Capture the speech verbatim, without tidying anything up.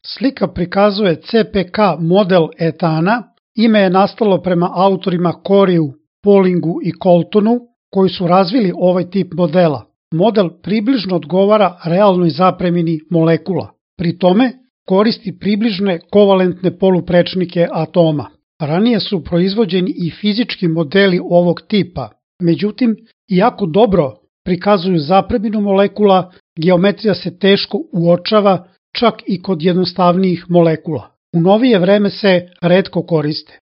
Slika prikazuje C P K model etana, ime je nastalo prema autorima Coryu, Paulingu i Coltonu, koji su razvili ovaj tip modela. Model približno odgovara realnoj zapremini molekula. Pri tome koristi približne kovalentne poluprečnike atoma. Ranije su proizvođeni i fizički modeli ovog tipa, međutim, iako dobro prikazuju zapreminu molekula, geometrija se teško uočava čak i kod jednostavnijih molekula. U novije vreme se retko koriste.